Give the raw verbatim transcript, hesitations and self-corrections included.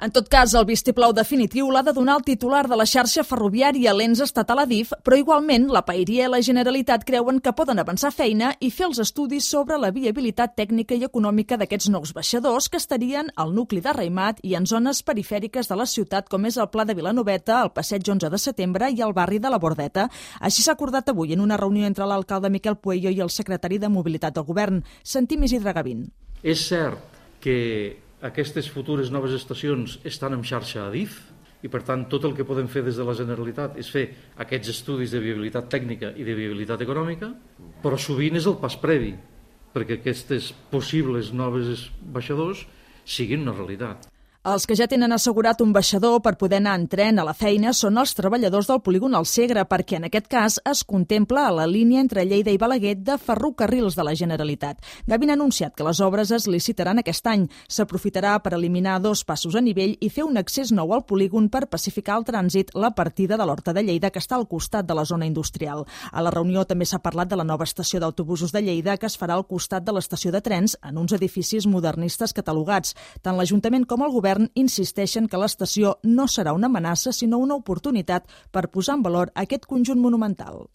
En tot cas, el vistiplau definitiu l'ha de donar el titular de la xarxa ferroviària, l'ens estatal Adif, però igualment la Paeria i la Generalitat creuen que poden avançar feina i fer els estudis sobre la viabilitat tècnica i econòmica d'aquests nous baixadors que estarien al nucli de Raimat i en zones perifèriques de la ciutat, com és el Pla de Vilanoveta, el Passeig onze de setembre i el barri de la Bordeta. Així s'ha acordat avui en una reunió entre l'alcalde Miquel Pueyo i el secretari de Mobilitat del Govern. Sentim Isidre Gavín. És cert que aquestes futures noves estacions estan en xarxa Adif i, per tant, tot el que podem fer des de la Generalitat és fer aquests estudis de viabilitat tècnica i de viabilitat econòmica, però sovint és el pas previ perquè aquestes possibles noves baixadors siguin una realitat. Els que ja tenen assegurat un baixador per poder anar en tren a la feina són els treballadors del polígon al Segre, perquè en aquest cas es contempla a la línia entre Lleida i Balaguer de ferrocarrils de la Generalitat. Gavín ha anunciat que les obres es licitaran aquest any. S'aprofitarà per eliminar dos passos a nivell i fer un accés nou al polígon per pacificar el trànsit la partida de l'Horta de Lleida, que està al costat de la zona industrial. A la reunió també s'ha parlat de la nova estació d'autobusos de Lleida, que es farà al costat de l'estació de trens en uns edificis modernistes catalogats. Tant l'Ajuntament com el Govern insisteixen que l'estació no serà una amenaça, sinó una oportunitat per posar en valor aquest conjunt monumental.